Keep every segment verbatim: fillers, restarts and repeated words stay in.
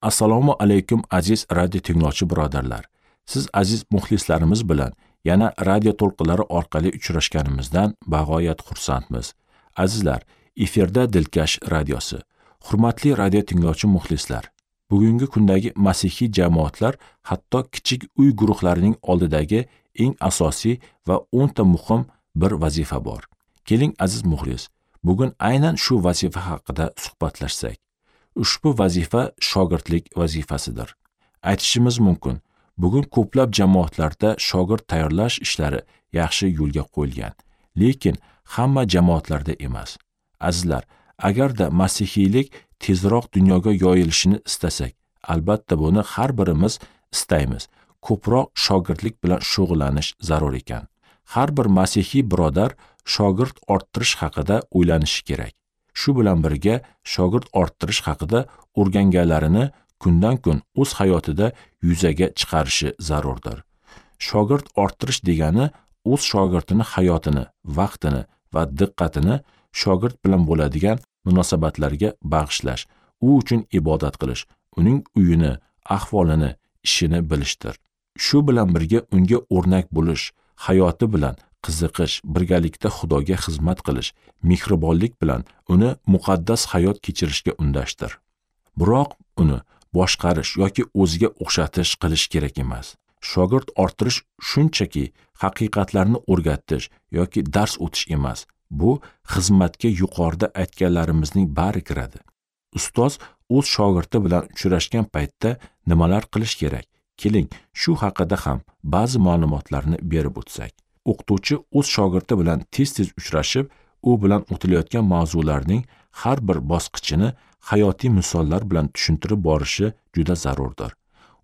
Assalomu alaykum aziz radio tinglovchi birodarlar. Siz aziz muxlislarimiz bilan yana radio to'lqinlari orqali uchrashganimizdan bag'oyat xursandmiz. Azizlar, efirda Dilkash radiosi. Hurmatli radio tinglovchi muxlislar, bugungi kundagi masihiy jamoatlar, hatto kichik uy guruhlarining oldidagi eng asosiy va o'nta muhim bir vazifa bor. Keling aziz muxlis, bugun aynan shu vazifa haqida suhbatlashsak. Ushbu vazifa shogirdlik vazifasidir. Aytishimiz mumkin, bugun ko'plab jamoatlarda shogird tayyorlash ishlari yaxshi yo'lga qo'yilgan, lekin hamma jamoatlarda emas. Azizlar, agarda masihiylik tezroq dunyoga yoyilishini istasak, albatta buni har birimiz istaymiz. Ko'proq shogirdlik bilan shug'ullanish zarur ekan. Har bir masihiy birodar shogird orttirish haqida o'ylanishi kerak. Shu bilan birga shogird orttirish haqida o'rganganlarini kundan kun o'z hayotida yuzaga chiqarishi zarurdir. Shogird orttirish degani o'z shogirdini hayotini, vaqtini va diqqatini shogird bilan bo'ladigan munosabatlarga bag'ishlash, u uchun ibodat qilish, uning uyini, ahvolini, ishini bilishdir. Shu bilan birga unga o'rnak bo'lish, hayoti bilan qiziqish, birgalikda Xudoga xizmat qilish, mehribonlik bilan uni muqaddas hayot kechirishga undashdir. Biroq uni boshqarish yoki o'ziga o'xshatish qilish kerak emas. Shogird orttirish shunchaki haqiqatlarni o'rgatish yoki dars o'tish emas. Bu xizmatga yuqorida aytganlarimizning bari kiradi. Ustoz o'z shogirdi bilan uchrashgan paytda nimalar qilish kerak? Keling, shu haqida ham ba'zi ma'lumotlarni berib o'tsak. O'qituvchi o'z shogirdi bilan tez-tez uchrashib, u bilan o'tilayotgan mavzularning har bir bosqichini hayotiy misollar bilan tushuntirib borishi juda zarurdir.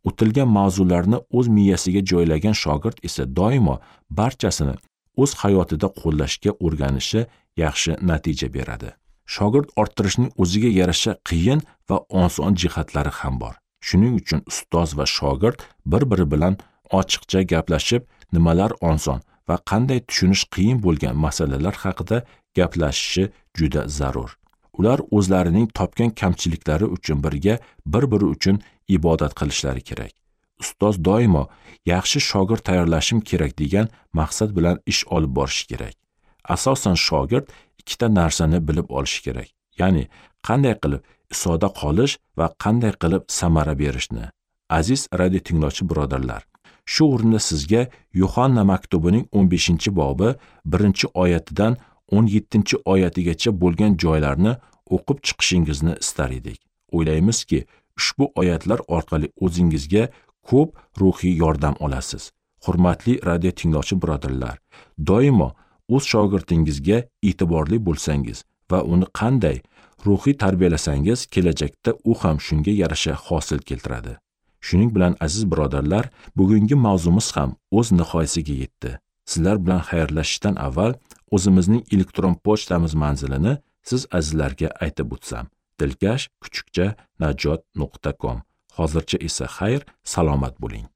O'tilgan mavzularni o'z miyasiga joylagan shogird esa doimo barchasini o'z hayotida qo'llashga o'rganishi yaxshi natija beradi. Shogird orttirishning o'ziga yarasha qiyin va oson jihatlari ham bor. Shuning uchun ustoz va shogird bir-biri bilan ochiqcha gaplashib, nimalar oson va qanday tushunish qiyin bo'lgan masalalar haqida gaplashishi juda zarur. Ular o'zlarining topgan kamchiliklari uchun birga bir-biri uchun ibodat qilishlari kerak. Ustoz doimo yaxshi shogird tayyorlashim kerak degan maqsad bilan ish olib borishi kerak. Asosan shogird ikkita narsani bilib olishi kerak. Ya'ni qanday qilib isoda qolish va qanday qilib samara berishni. Aziz radio tinglovchi birodarlar, shu o'rinda sizga Yuhanna maktubining o'n beshinchi bobi birinchi oyatidan o'n yettinchi oyatigacha bo'lgan joylarni o'qib chiqishingizni istar edik. O'ylaymizki, ushbu oyatlar orqali o'zingizga ko'p ruhiy yordam olasiz. Hurmatli radio tinglovchi birodarlar, doimo o'z shogirdingizga e'tiborli bo'lsangiz va uni qanday ruhiy tarbiyalasangiz, kelajakda u ham shunga yarasha hosil keltiradi. Shuning bilan aziz birodarlar, bugungi mavzumiz ham o'z nihoyasiga yetdi. Sizlar bilan xayrlashishdan avval o'zimizning elektron pochtamiz manzilini siz azizlarga aytib o'tsam. Dilkash kuchukcha najot nuqta com. Hozircha esa xayr, salomat bo'ling.